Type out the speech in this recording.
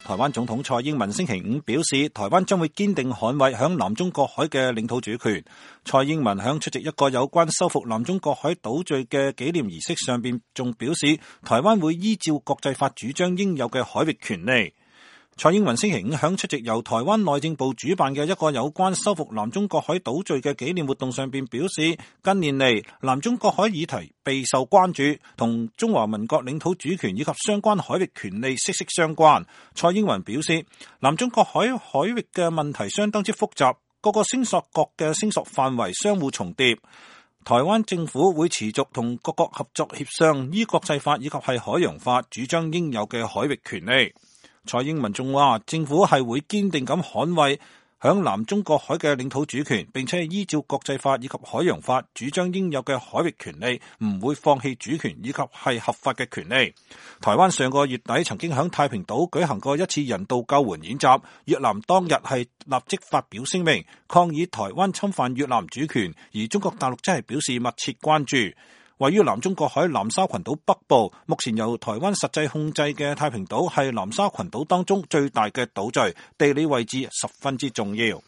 台灣總統蔡英文星期五表示，台灣將會堅定捍衛響南中國海嘅領土主權。蔡英文響出席一個有關收復南中國海島嶼嘅紀念儀式上邊，仲表示台灣會依照國際法主張應有嘅海域權利。蔡英文星期五響出席由台灣內政部主辦嘅一個有關收復南中國海島嶼嘅紀念活動上邊表示，近年嚟南中國海議題備受關注，同中華民國領土主權以及相關海域權利息息相關。蔡英文表示，南中國海域嘅問題相當之複雜，各個聲索國嘅聲索範圍相互重疊。台灣政府會持續同各國合作協商，依國際法以及係海洋法主張應有嘅海域權利。蔡英文仲話，政府係會堅定咁捍衛響南中國海嘅領土主權，並且係依照國際法以及海洋法主張應有嘅海域權利，唔會放棄主權以及係合法嘅權利。台灣上個月底曾經響太平島舉行過一次人道救援演習，越南當日係立即發表聲明抗議台灣侵犯越南主權，而中國大陸真係表示密切關注。位於南中國海南沙群島北部，目前由台灣實際控制嘅太平島係南沙群島當中最大嘅島嶼，地理位置十分之重要。